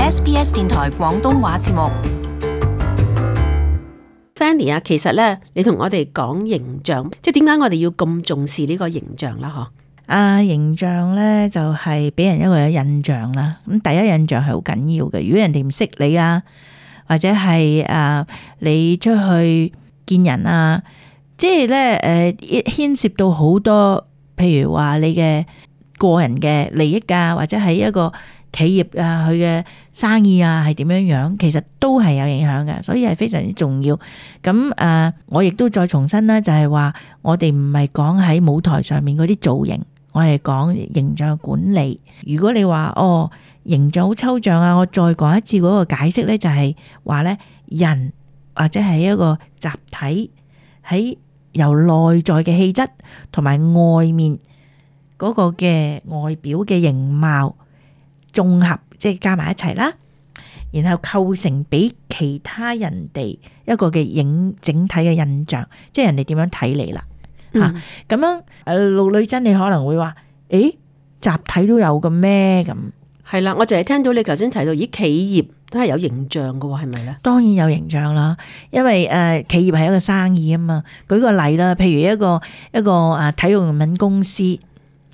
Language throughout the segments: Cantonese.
SBS 電台廣東話節目。Fanny 啊，其實咧，你同我哋講形象，即係點解我哋要咁重視呢個形象啦？形象咧就係俾人一個印象啦。咁第一印象係好緊要嘅。如果人哋唔識你啊，或者係你出去見人啊，即係咧牽涉到好多，譬如話你嘅個人嘅利益啊，或者係一個企業啊，佢嘅生意啊係點樣樣，其實都係有影響嘅，所以係非常之重要。咁我亦都再重申啦，就係話我哋唔係講喺舞台上面嗰啲造型，我哋講形象管理。如果你話形象好抽象啊，我再講一次嗰個解釋咧，就係話咧，人或者係一個集體喺由內在嘅氣質同埋外面嗰個嘅外表嘅形貌綜合，即係加埋一齊啦，然後構成俾其他人哋一個嘅整體嘅印象，即係人哋點樣睇你啦。咁樣陸女真你可能會話，集體都有嘅咩？咁係啦，我就係聽到你頭先提到，企業都係有形象嘅，係咪咧？當然有形象啦，因為企業係一個生意啊嘛。舉個例啦，譬如一個體育用品公司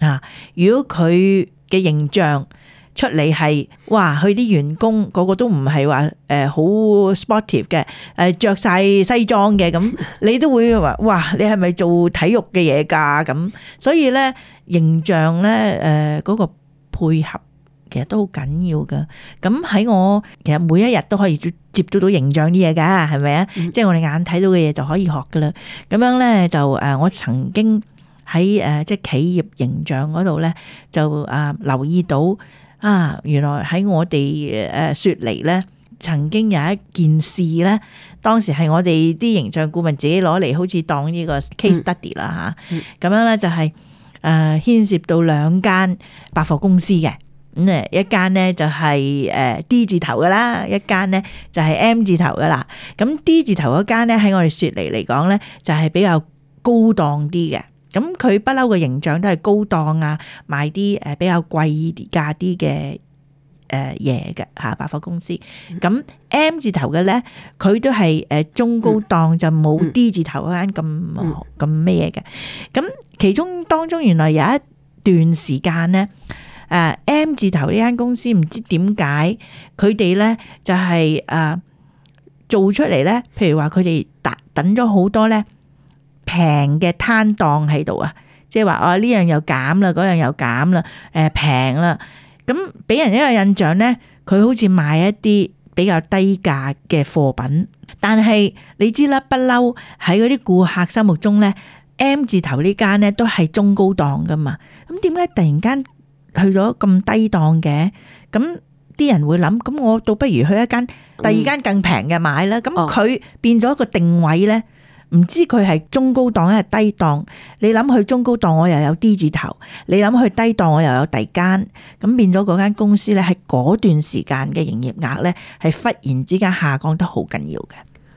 啊，如果佢嘅形象出嚟係哇，佢啲員工個個都唔係話好 sportive 嘅，着晒西裝嘅，咁你都會話哇，你係咪做體育嘅嘢㗎？咁所以咧，形象咧嗰個配合其實都好緊要㗎。咁喺我其實每一日都可以接觸到形象啲嘢㗎，係咪啊？即係我哋眼睇到嘅嘢就可以學㗎啦。咁樣咧就我曾經喺即係企業形象嗰度咧就留意到。原來喺我哋雪梨咧，曾經有一件事咧，當時係我哋啲形象顧問自己攞嚟，好似當呢個 case study 啦嚇。咁樣咧就係牽涉到兩間百貨公司嘅，咁一間咧就係D 字頭噶啦，一間咧就係 M 字頭噶啦。咁 D 字頭嗰間咧喺我哋雪梨嚟講咧，就係比較高檔啲嘅。咁佢不嬲嘅形象都係高檔啊，賣啲比較貴價啲嘅嘢嘅嚇百貨公司。咁 M 字頭嘅咧，佢都係中高檔，就冇 D 字頭嗰間咁咩嘢嘅。咁其中當中原來有一段時間咧，M 字頭呢間公司唔知點解佢哋咧就係做出嚟咧，譬如話佢哋等咗好多咧。平嘅攤檔喺度啊，即係話呢樣又減啦，嗰樣又減啦，平啦，咁俾人一個印象咧，佢好似賣一啲比較低價嘅貨品，但係你知啦，不嬲喺嗰啲顧客心目中咧 ，M 字頭呢間咧都係中高檔噶嘛，咁點解突然間去咗咁低檔嘅？咁啲人會諗，咁我倒不如去一間第二間更平嘅買啦，咁佢變咗一個定位咧。唔知佢係中高檔定係低檔？你諗去中高檔，我又有 D 字頭；你諗去低檔，我又有第間。咁變咗嗰間公司咧，喺嗰段時間嘅營業額咧，係忽然之間下降得好緊要嘅。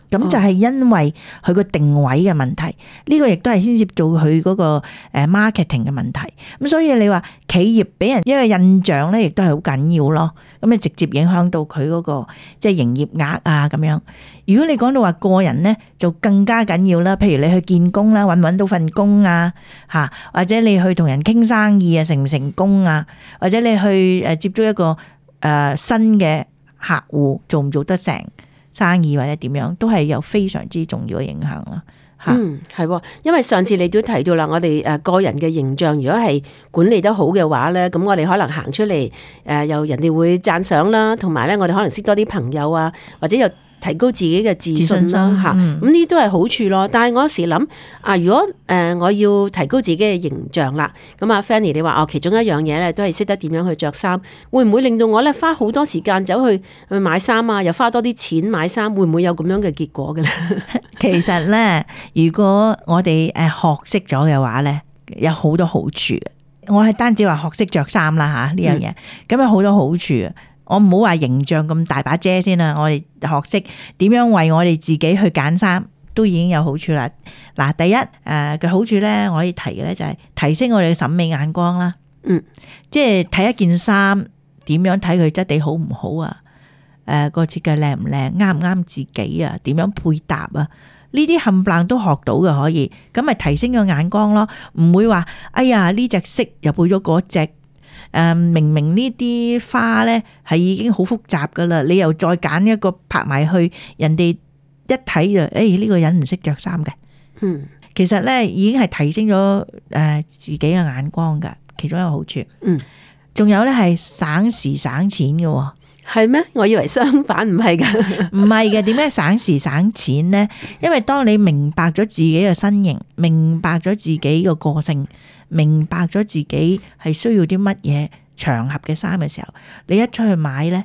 咁就係因為佢個定位嘅問題，呢個亦都係牽涉到佢嗰個 marketing 嘅問題。咁所以你話企業俾人一個印象咧，亦都係好緊要咯。咁你直接影響到佢嗰個即係營業額啊咁樣。如果你講到話個人咧，就更加緊要啦。譬如你去見工啦，搵唔搵到份工啊，吓，或者你去同人傾生意啊，成唔成功啊，或者你去接觸一個新嘅客戶，做唔做得成生意或者點樣，都係有非常之重要嘅影響啦。係，因為上次你都提到啦，我哋個人嘅形象如果係管理得好嘅話咧，咁我哋可能行出嚟又人哋會讚賞啦，同埋咧我哋可能識多啲朋友啊，或者又提高自己嘅自信啦嚇，咁呢都係好處咯。但係我有時諗如果我要提高自己嘅形象啦，咁Fanny 你話其中一樣嘢咧都係識得點樣去着衫，會唔會令到我咧花好多時間走去買衫啊，又花多啲錢買衫，會唔會有咁樣嘅結果嘅咧？其實咧，如果我哋學識咗嘅話咧，有好多好處。我係單止話學識着衫啦嚇呢樣嘢，咁有好多好處啊！我唔好話形象咁大把遮先啦，我哋學識點樣為我哋自己去揀衫，都已經有好處啦。嗱，第一嘅好處咧，我可以提嘅咧就係提升我哋嘅審美眼光啦。即係睇一件衫點樣睇佢質地好唔好啊？個設計靚唔靚，啱唔啱自己啊，點樣配搭啊，呢啲冚唪唥都學到嘅可以，咁咪提升個眼光咯，唔會話哎呀呢隻色又配咗嗰隻。明明呢啲花咧係已經好複雜噶啦，你又再揀一個拍埋去，人哋一睇就呢個人唔識着衫嘅。其實咧已經係提升咗自己嘅眼光噶，其中一個好處。仲有咧係省時省錢嘅。係咩？我以為相反，唔係噶。唔係嘅，點解省時省錢呢？因為當你明白咗自己嘅身形，明白咗自己嘅個性，明白咗自己係需要啲乜嘢場合嘅衫嘅時候，你一出去買呢，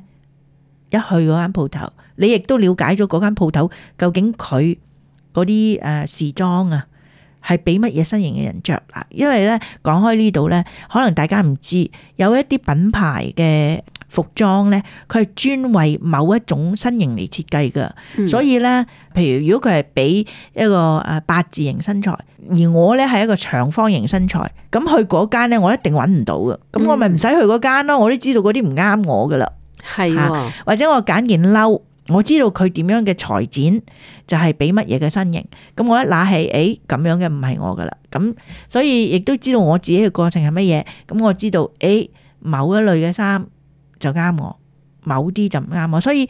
一去嗰間鋪頭，你亦都了解咗嗰間鋪頭究竟佢嗰啲時裝啊，係俾乜嘢身形嘅人着啦。因為呢，講開呢度呢，可能大家唔知有一啲品牌嘅服裝咧，佢係專為某一種身形嚟設計噶，所以咧，譬如如果佢係俾一個八字形身材，而我咧係一個長方形身材，咁去嗰間咧，我一定揾唔到噶，咁我咪唔使去嗰間咯，我都知道嗰啲唔啱我噶啦，係，或者我揀件褸，我知道佢點樣嘅裁剪就係俾乜嘢嘅身形，咁我一拿起，咁樣嘅唔係我噶啦，咁所以亦都知道我自己嘅個性係乜嘢，咁我知道某一類嘅衫就啱我，某啲就唔啱我，所以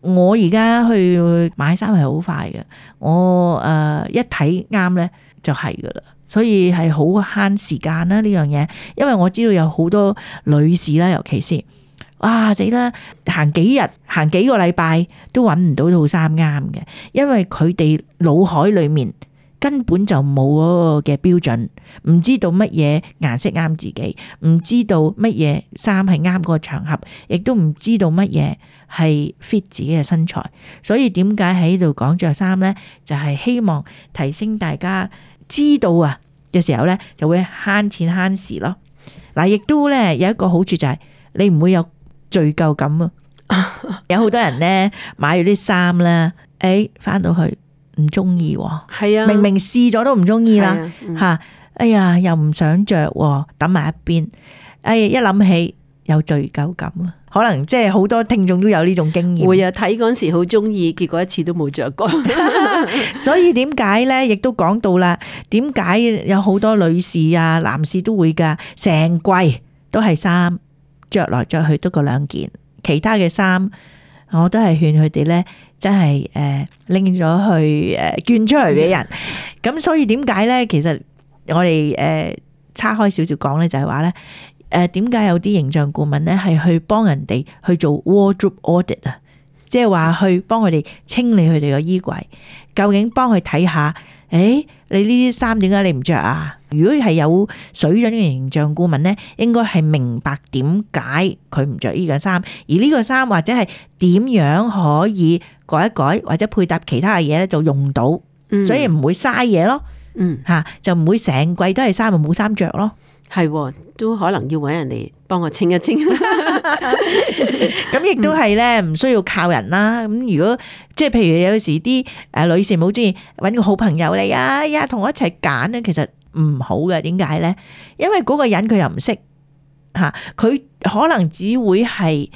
我而家去買衫係好快嘅，我一睇啱咧就係噶啦，所以係好慳時間啦呢樣嘢，因為我知道有好多女士啦，尤其是死啦，行幾日行幾個禮拜都揾唔到套衫啱嘅，因為佢哋腦海裏面根本就冇嗰個嘅標準，唔知道乜嘢顏色啱自己，唔知道乜嘢衫係啱嗰個場合，亦都唔知道乜嘢係 fit 自己嘅身材。所以點解喺度講着衫呢？就係希望提升大家知道嘅時候呢，就會慳錢慳時咯。嗱，亦都呢有一個好處就係你唔會有罪疚感啊。有好多人呢買咗啲衫呢，翻到去唔中意，係啊，明明試咗都唔中意啦，吓，哎呀，又唔想着，抌埋一邊，一諗起有罪疚感啊，可能即係好多聽眾都有呢種經驗。會啊，睇嗰陣時好中意，結果一次都冇着過。所以點解咧？亦都講到啦，點解有好多女士啊、男士都會噶，成季都係衫，着來着去都嗰兩件，其他嘅衫我都係勸佢哋咧。真係拎咗去捐出嚟俾人，咁所以點解咧？其實我哋叉開少少講咧，就係話咧，點解有啲形象顧問咧係去幫人哋去做 wardrobe audit 啊，即係話去幫佢哋清理佢哋個衣櫃，究竟幫佢睇下，你呢啲衫點解你唔着啊？如果係有水準嘅形象顧問咧，應該係明白點解佢唔着呢個衫，而呢個衫或者係點樣可以改一改，或者配搭其他嘅嘢咧就用到，所以唔會嘥嘢咯。就唔會成季都係衫，冇衫着咯。係，都可能要搵人嚟幫我清一清。咁亦都係咧，唔需要靠人啦。咁如果即係譬如有時啲女士好中意搵個好朋友嚟啊，同我一齊揀咧，其實唔好嘅。點解咧？因為嗰個人佢又唔識吓，佢可能只會係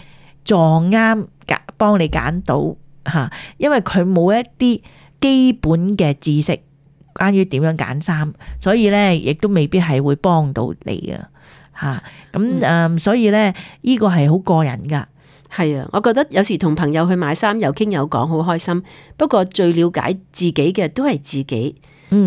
撞啱幫你揀到吓，因為佢冇一啲基本嘅知識關於點樣揀衫，所以咧亦都未必係會幫到你啊吓。咁所以咧呢個係好個人噶。係啊，我覺得有時同朋友去買衫有傾有講好開心，不過最了解自己嘅都係自己。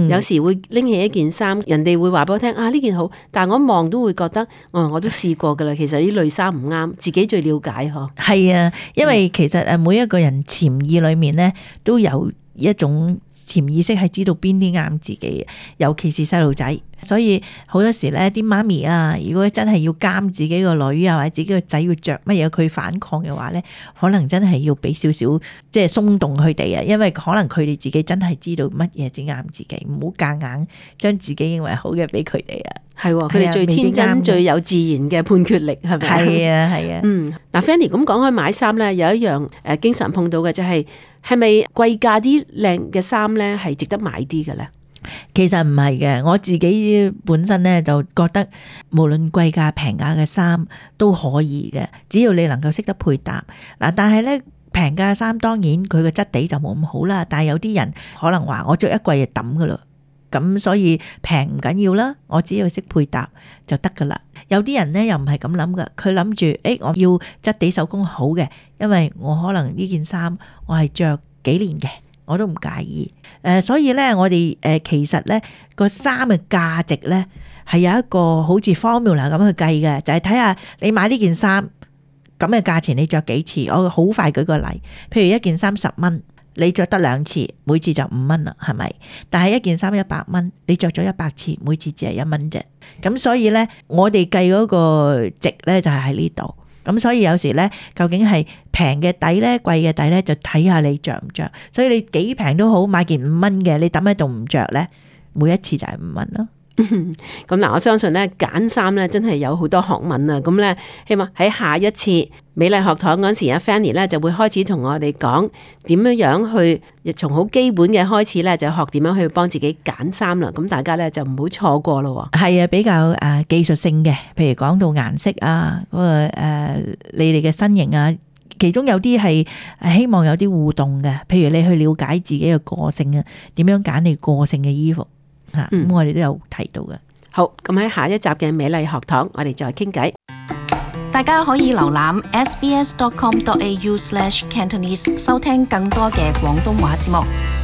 有時會拎起一件衫，人哋會話俾我聽呢件好，但係我一望都會覺得，我都試過噶啦。其實呢類衫唔啱，自己最了解嗬。係啊，因為其實每一個人潛意裏面咧都有一種潛意識係知道邊啲啱自己嘅，尤其是細路仔。所以好多時咧，啲媽咪啊，如果真係要監自己個女啊，或者自己個仔要着乜嘢，佢反抗嘅話咧，可能真係要俾少少即係鬆動佢哋啊，因為可能佢哋自己真係知道乜嘢至啱自己，唔好夾硬將自己認為好嘅俾佢哋啊。係，佢哋最天真、最有自然嘅判決力，係咪？係啊，係啊。嗱，Fanny 咁講開買衫咧，有一樣經常碰到嘅就係咪貴價啲靚嘅衫咧係值得買啲嘅咧？其實唔係嘅，我自己本身咧就覺得無論貴價平價嘅衫都可以嘅，只要你能夠識得配搭嗱。但係咧平價衫當然佢個質地就冇咁好啦，但係有啲人可能話我着一季就抌噶啦，咁所以平唔緊要啦，我只要識配搭就得噶啦。有啲人呢又唔係咁諗噶，佢諗住我要質地手工好嘅，因為我可能呢件衫我係着幾年嘅，我都唔介意。所以呢，我哋其實呢個衫嘅價值呢係有一個好似 formula 咁去計嘅，就係睇下你買呢件衫咁嘅價錢，你着幾次？我好快舉個例，譬如一件衫10蚊，你着得2次，每次就5蚊啦，係咪？但係一件衫100蚊，你着咗100次，每次只係1蚊啫。咁所以呢，我哋計嗰個值呢就係喺呢度。咁所以有時呢，究竟係平嘅底呢，貴嘅底呢，就睇下你着唔着。所以你幾平都好，買件5蚊嘅，你抌喺度唔着呢，每一次就係5蚊咯。咁嗱，我相信咧揀衫咧真係有好多學問啊！咁咧，希望喺下一次美麗學堂嗰時，阿 Fanny 咧就會開始同我哋講點樣去從好基本嘅開始咧，就學點樣去幫自己揀衫啦。咁大家咧就唔好錯過咯。係啊，比較技術性嘅，譬如講到顏色啊，嗰個你哋嘅身形啊，其中有啲係希望有啲互動嘅，譬如你去了解自己嘅個性啊，點樣揀你個性嘅衣服。咁我哋都有提到嘅。好，咁喺下一集嘅美麗學堂，我哋再傾偈。大家可以瀏覽 sbs.com.au/Cantonese 收聽更多嘅廣東話節目。